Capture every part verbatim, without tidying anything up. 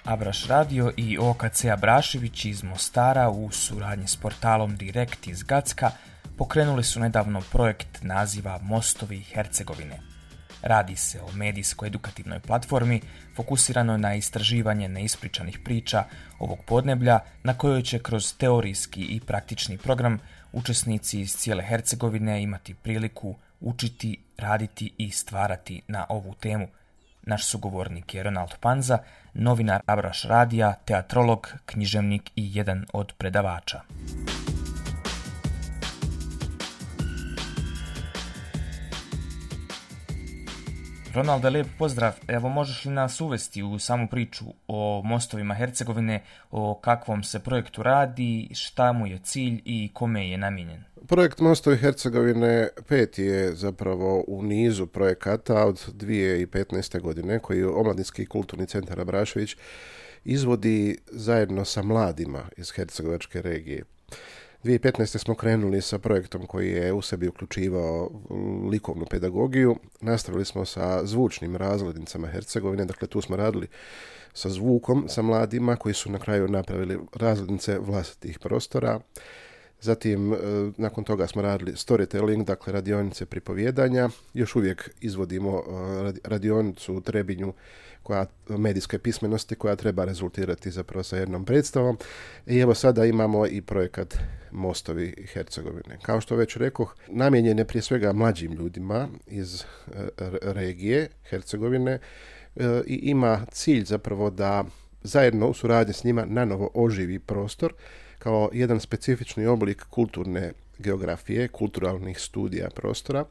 Abraš Radio i O K C Abrašević iz Mostara u suradnji s portalom Direkt iz Gacka pokrenuli su nedavno projekt naziva Mostovi Hercegovine. Radi se o medijsko-edukativnoj platformi fokusiranoj na istraživanje neispričanih priča ovog podneblja na kojoj će kroz teorijski i praktični program učesnici iz cijele Hercegovine imati priliku učiti, raditi i stvarati na ovu temu. Naš sugovornik je Ronald Panza, novinar Abraš Radija, teatrolog, književnik i jedan od predavača. Ronalde, lijep pozdrav. Evo, možeš li nas uvesti u samu priču o Mostovima Hercegovine, o kakvom se projektu radi, šta mu je cilj i kome je namijenjen? Projekt Mostovi Hercegovine peti je zapravo u nizu projekata od dvije tisuće petnaeste. godine koji Omladinski kulturni centar Abrašević izvodi zajedno sa mladima iz hercegovačke regije. dvije tisuće petnaeste. smo krenuli sa projektom koji je u sebi uključivao likovnu pedagogiju. Nastavili smo sa zvučnim razglednicama Hercegovine, dakle tu smo radili sa zvukom, sa mladima koji su na kraju napravili razglednice vlastitih prostora. Zatim, nakon toga smo radili storytelling, dakle radionice pripovjedanja. Još uvijek izvodimo radionicu u Trebinju koja, medijske pismenosti koja treba rezultirati zapravo sa jednom predstavom. I evo sada imamo i projekat Mostovi Hercegovine. Kao što već rekoh, namijenjen je prije svega mlađim ljudima iz regije Hercegovine i ima cilj zapravo da zajedno u suradnji s njima nanovo oživi prostor kao jedan specifični oblik kulturne geografije, kulturalnih studija prostora,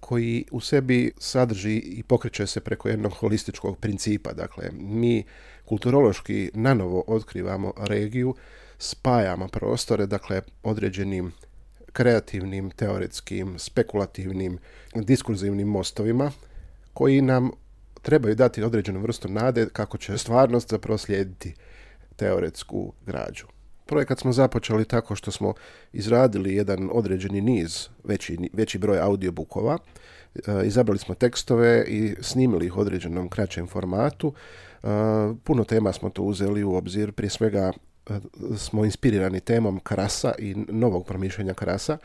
koji u sebi sadrži i pokreće se preko jednog holističkog principa. Dakle, mi kulturološki nanovo otkrivamo regiju, spajamo prostore, dakle, određenim kreativnim, teoretskim, spekulativnim, diskurzivnim mostovima, koji nam trebaju dati određenu vrstu nade kako će stvarnost zapravo slijediti teoretsku građu. Projekat smo započeli tako što smo izradili jedan određeni niz, veći, veći broj audiobookova, e, izabrali smo tekstove i snimili ih u određenom kraćem formatu. E, puno tema smo to uzeli u obzir, prije svega smo inspirirani temom Krasa i novog promišljanja Krasa.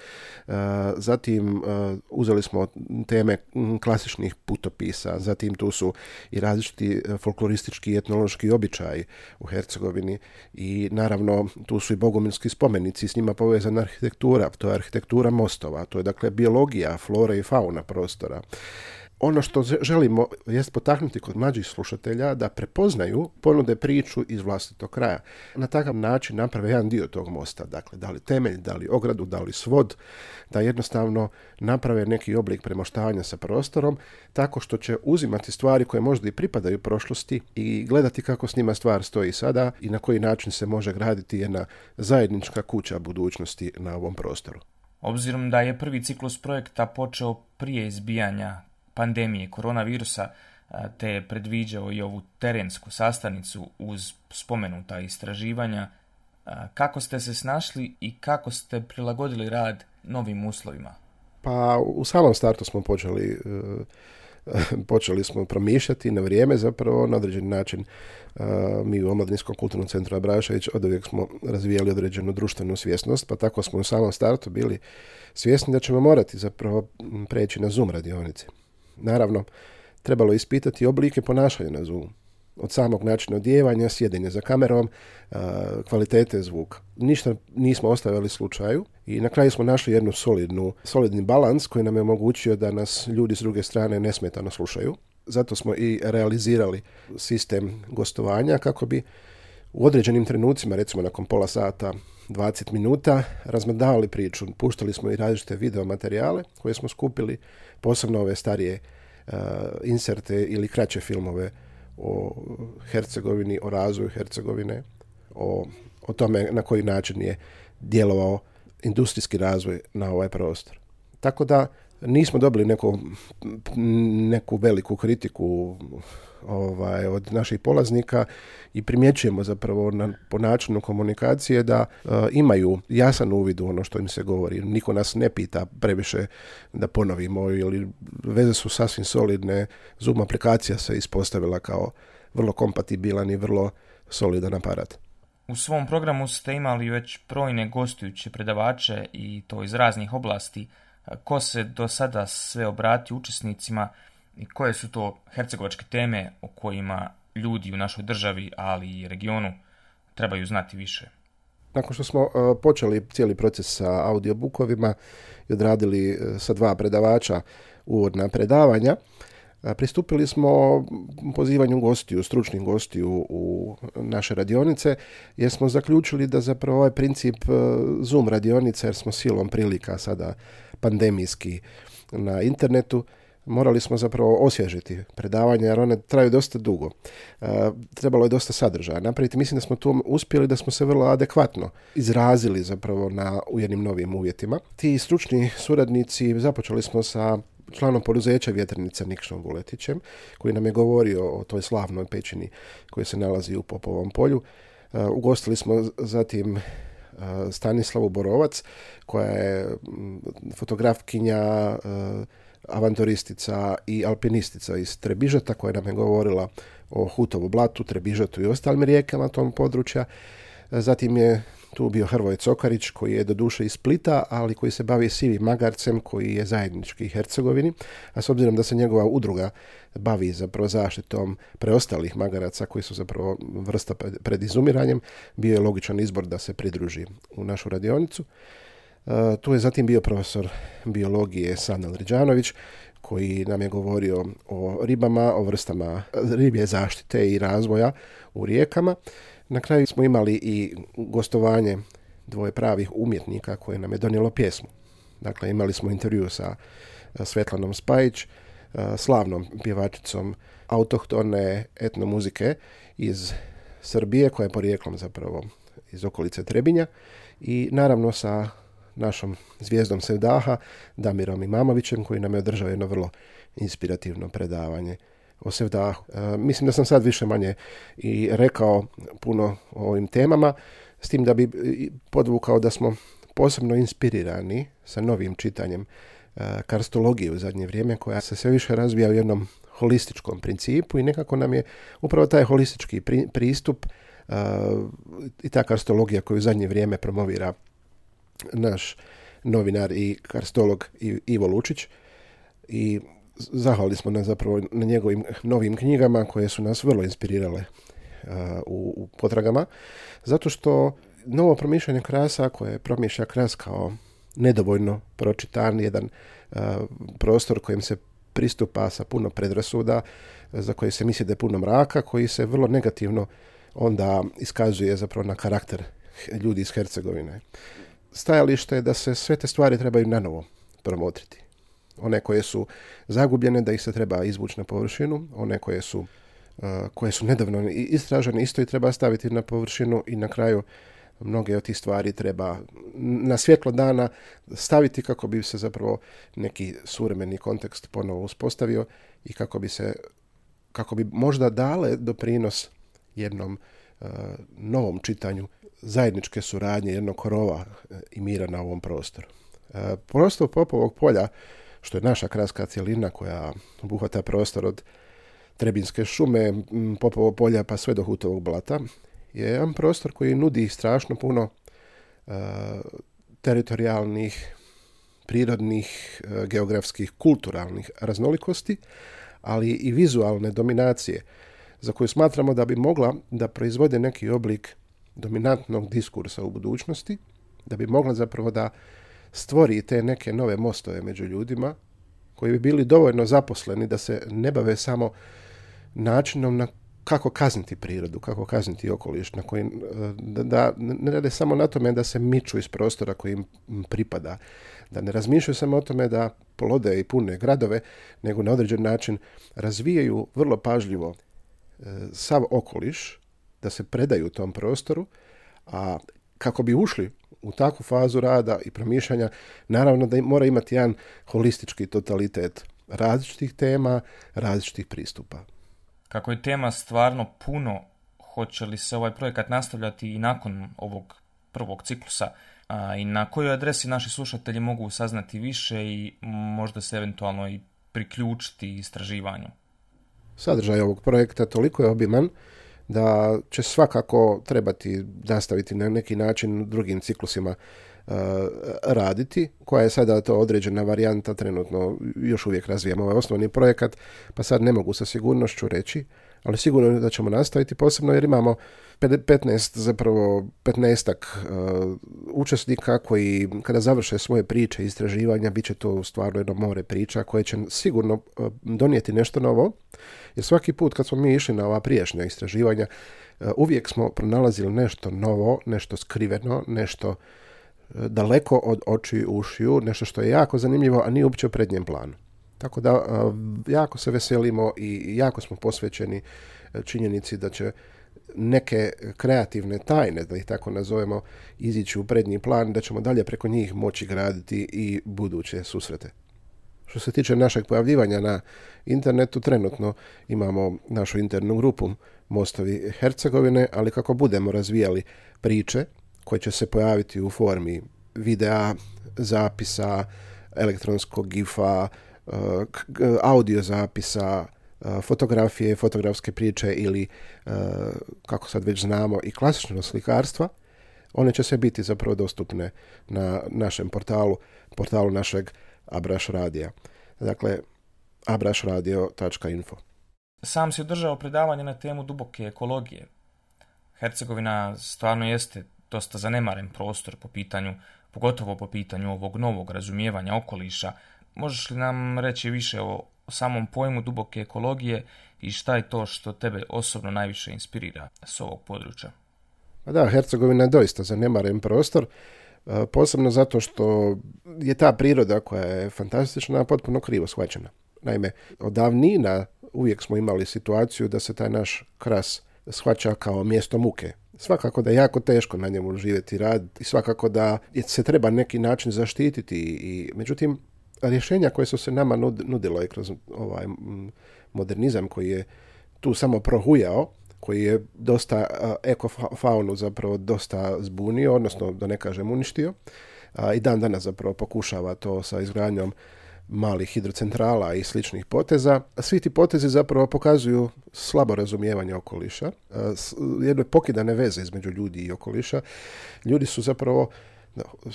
Zatim uzeli smo teme klasičnih putopisa, zatim tu su i različiti folkloristički i etnološki običaji u Hercegovini i naravno tu su i bogumilski spomenici, s njima povezana arhitektura, to je arhitektura mostova, to je dakle biologija, flora i fauna prostora. Ono što želimo jest potaknuti kod mlađih slušatelja da prepoznaju, ponude priču iz vlastitog kraja. Na takav način naprave jedan dio tog mosta, dakle da li temelj, da li ogradu, da li svod, da jednostavno naprave neki oblik premoštavanja sa prostorom, tako što će uzimati stvari koje možda i pripadaju prošlosti i gledati kako s njima stvar stoji sada i na koji način se može graditi jedna zajednička kuća budućnosti na ovom prostoru. Obzirom da je prvi ciklus projekta počeo prije izbijanja pandemije koronavirusa, te je predviđao i ovu terensku sastavnicu uz spomenuta istraživanja, kako ste se snašli i kako ste prilagodili rad novim uslovima? Pa u samom startu smo počeli, počeli smo promišljati na vrijeme zapravo, na određeni način. Mi u Omladinskom kulturnom centru Abrašević oduvijek smo razvijali određenu društvenu svjesnost, pa tako smo u samom startu bili svjesni da ćemo morati zapravo preći na Zoom radionice. Naravno, trebalo ispitati oblike ponašanja na Zoomu. Od samog načina odijevanja, sjedenja za kamerom, kvalitete zvuka. Ništa nismo ostavili slučaju i na kraju smo našli jednu solidnu, solidni balans koji nam je omogućio da nas ljudi s druge strane nesmetano slušaju. Zato smo i realizirali sistem gostovanja kako bi u određenim trenucima, recimo nakon pola sata, dvadeset minuta, razmrdavali priču. Puštali smo i različite video materijale koje smo skupili, posebno ove starije uh, inserte ili kraće filmove o Hercegovini, o razvoju Hercegovine, o, o tome na koji način je djelovao industrijski razvoj na ovaj prostor. Tako da nismo dobili neku, neku veliku kritiku ovaj, od naših polaznika i primjećujemo zapravo na, po načinu komunikacije da uh, imaju jasan uvid u ono što im se govori. Niko nas ne pita previše da ponovimo ili veze su sasvim solidne. Zoom aplikacija se ispostavila kao vrlo kompatibilan i vrlo solidan aparat. U svom programu ste imali već brojne gostujuće predavače i to iz raznih oblasti. Ko se do sada sve obrati učesnicima i koje su to hercegovačke teme o kojima ljudi u našoj državi, ali i regionu trebaju znati više? Nakon što smo uh, počeli cijeli proces sa audiobukovima i odradili uh, sa dva predavača uvodna predavanja, uh, pristupili smo pozivanju gostiju, stručnih gostiju u naše radionice, jer smo zaključili da zapravo ovaj princip uh, Zoom radionica, jer smo silom prilika sada pandemijski na internetu, morali smo zapravo osvježiti predavanja jer one traju dosta dugo. E, trebalo je dosta sadržaja napraviti. Mislim da smo tu uspjeli, da smo se vrlo adekvatno izrazili zapravo na u jednim novim uvjetima. Ti stručni suradnici, započeli smo sa članom poduzeća Vjetrnica Nikšom Vuletićem, koji nam je govorio o toj slavnoj pećini koja se nalazi u Popovom polju. E, ugostili smo zatim Stanislavu Borovac, koja je fotografkinja, avanturistica i alpinistica iz Trebižeta, koja nam je govorila o Hutovu blatu, Trebižetu i ostalim rijekama tom područja. Zatim je tu bio Hrvoje Cokarić, koji je doduše iz Splita, ali koji se bavi sivim magarcem, koji je zajednički Hercegovini, a s obzirom da se njegova udruga bavi zapravo zaštitom preostalih magaraca koji su zapravo vrsta pred izumiranjem, bio je logičan izbor da se pridruži u našu radionicu. Uh, tu je zatim bio profesor biologije Sanel Riđanović, koji nam je govorio o ribama, o vrstama ribje zaštite i razvoja u rijekama. Na kraju smo imali i gostovanje dvoje pravih umjetnika koje nam je donijelo pjesmu. Dakle, imali smo intervju sa Svetlanom Spajić, slavnom pjevačicom autohtone etnomuzike iz Srbije, koja je porijeklom zapravo iz okolice Trebinja, i naravno sa našom zvijezdom Sevdaha, Damirom Imamovićem, koji nam je održao jedno vrlo inspirativno predavanje o Sevdahu. E, mislim da sam sad više manje i rekao puno o ovim temama, s tim da bi podvukao da smo posebno inspirirani sa novim čitanjem e, karstologije u zadnje vrijeme, koja se sve više razvija u jednom holističkom principu i nekako nam je upravo taj holistički pri, pristup e, i ta karstologija koju u zadnje vrijeme promovira naš novinar i karstolog Ivo Lučić, i zahvalili smo na zapravo na njegovim novim knjigama koje su nas vrlo inspirirale uh, u, u potragama, zato što novo promišljanje krasa, koje promišlja kras kao nedovoljno pročitan, jedan uh, prostor kojim se pristupa sa puno predrasuda, za koji se misli da je puno mraka, koji se vrlo negativno onda iskazuje zapravo na karakter ljudi iz Hercegovine. Stajalište je da se sve te stvari trebaju nanovo promotriti. One koje su zagubljene, da ih se treba izvući na površinu, one koje su, uh, koje su nedavno istražene, isto i treba staviti na površinu, i na kraju mnoge od tih stvari treba na svjetlo dana staviti kako bi se zapravo neki suvremeni kontekst ponovo uspostavio i kako bi se, kako bi možda dale doprinos jednom uh, novom čitanju zajedničke suradnje, jednog korova i mira na ovom prostoru. Uh, prostor Popovog polja, što je naša kraska cjelina koja obuhvata prostor od Trebinske šume, Popovo polja pa sve do Hutovog blata, je jedan prostor koji nudi strašno puno uh, teritorijalnih, prirodnih, uh, geografskih, kulturalnih raznolikosti, ali i vizualne dominacije, za koju smatramo da bi mogla da proizvode neki oblik dominantnog diskursa u budućnosti, da bi mogla zapravo da stvori te neke nove mostove među ljudima koji bi bili dovoljno zaposleni da se ne bave samo načinom na kako kazniti prirodu, kako kazniti okoliš, na koji, da, da ne rade samo na tome da se miču iz prostora koji im pripada, da ne razmišljaju samo o tome da plode i pune gradove, nego na određen način razvijaju vrlo pažljivo e, sav okoliš, da se predaju tom prostoru, a kako bi ušli u takvu fazu rada i promišljanja, naravno da mora imati jedan holistički totalitet različitih tema, različitih pristupa. Kako je tema stvarno puno, hoće li se ovaj projekat nastavljati i nakon ovog prvog ciklusa, a i na kojoj adresi naši slušatelji mogu saznati više i možda se eventualno i priključiti istraživanju? Sadržaj ovog projekta toliko je obiman da će svakako trebati nastaviti na neki način drugim ciklusima uh, raditi, koja je sada to određena varijanta, trenutno još uvijek razvijamo ovaj osnovni projekat, pa sad ne mogu sa sigurnošću reći, ali sigurno da ćemo nastaviti, posebno jer imamo petnaest, zapravo petnaestak uh, učesnika koji kada završe svoje priče i istraživanja, bit će to stvarno jedno more priča koje će sigurno uh, donijeti nešto novo, jer svaki put kad smo mi išli na ova prijašnja istraživanja, uh, uvijek smo pronalazili nešto novo, nešto skriveno, nešto uh, daleko od očiju i ušiju, nešto što je jako zanimljivo, a nije uopće u prednjem planu. Tako da uh, jako se veselimo i jako smo posvećeni uh, činjenici da će neke kreativne tajne, da ih tako nazovemo, izići u prednji plan, da ćemo dalje preko njih moći graditi i buduće susrete. Što se tiče našeg pojavljivanja na internetu, trenutno imamo našu internu grupu Mostovi Hercegovine, ali kako budemo razvijali priče koje će se pojaviti u formi videa, zapisa, elektronskog gifa, audio zapisa, fotografije, fotografske priče ili, kako sad već znamo, i klasično slikarstva, one će se biti zapravo dostupne na našem portalu, portalu našeg Abraš radija. Dakle, abraš radio tačka info. Sam si održao predavanje na temu duboke ekologije. Hercegovina stvarno jeste dosta zanemaren prostor po pitanju, pogotovo po pitanju ovog novog razumijevanja okoliša. Možeš li nam reći više o o samom pojmu duboke ekologije i šta je to što tebe osobno najviše inspirira s ovog područja? Da, Hercegovina je doista zanemaren prostor, posebno zato što je ta priroda koja je fantastična, potpuno krivo shvaćena. Naime, od davnina uvijek smo imali situaciju da se taj naš kras shvaća kao mjesto muke. Svakako da je jako teško na njemu živjeti i raditi i svakako da se treba neki način zaštititi. I, međutim, rješenja koje su se nama nudilo i kroz ovaj modernizam koji je tu samo prohujao, koji je dosta ekofaunu zapravo dosta zbunio, odnosno da ne kažem uništio, a i dan danas zapravo pokušava to sa izgradnjom malih hidrocentrala i sličnih poteza. Svi ti potezi zapravo pokazuju slabo razumijevanje okoliša, jedne pokidane veze između ljudi i okoliša. Ljudi su zapravo,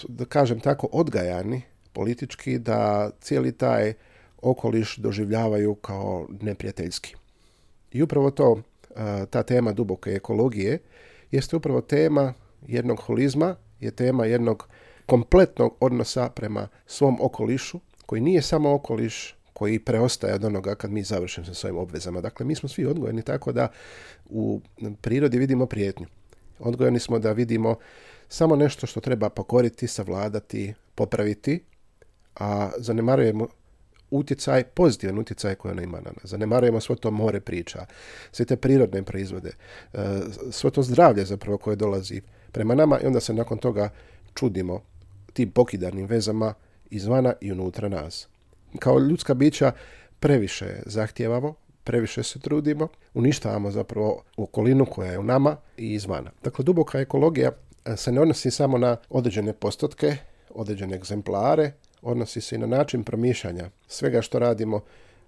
da kažem tako, odgajani politički da cijeli taj okoliš doživljavaju kao neprijateljski. I upravo to, ta tema duboke ekologije, jeste upravo tema jednog holizma, je tema jednog kompletnog odnosa prema svom okolišu, koji nije samo okoliš koji preostaje od onoga kad mi završimo sa svojim obvezama. Dakle, mi smo svi odgojeni tako da u prirodi vidimo prijetnju. Odgojeni smo da vidimo samo nešto što treba pokoriti, savladati, popraviti, a zanemarujemo utjecaj, pozitivan utjecaj koji ona ima na nas. Zanemarujemo svo to more priča, sve te prirodne proizvode, svo to zdravlje zapravo koje dolazi prema nama i onda se nakon toga čudimo tim pokidanim vezama izvana i unutra nas. Kao ljudska bića previše zahtijevamo, previše se trudimo, uništavamo zapravo okolinu koja je u nama i izvana. Dakle, duboka ekologija se ne odnosi samo na određene postotke, određene egzemplare, odnosi se i na način promišljanja svega što radimo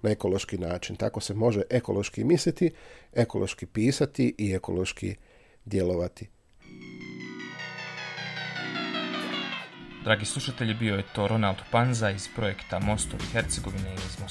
na ekološki način. Tako se može ekološki misliti, ekološki pisati i ekološki djelovati. Dragi slušatelji, bio je to Ronald Panza iz projekta Mostovi Hercegovine iz Mostara.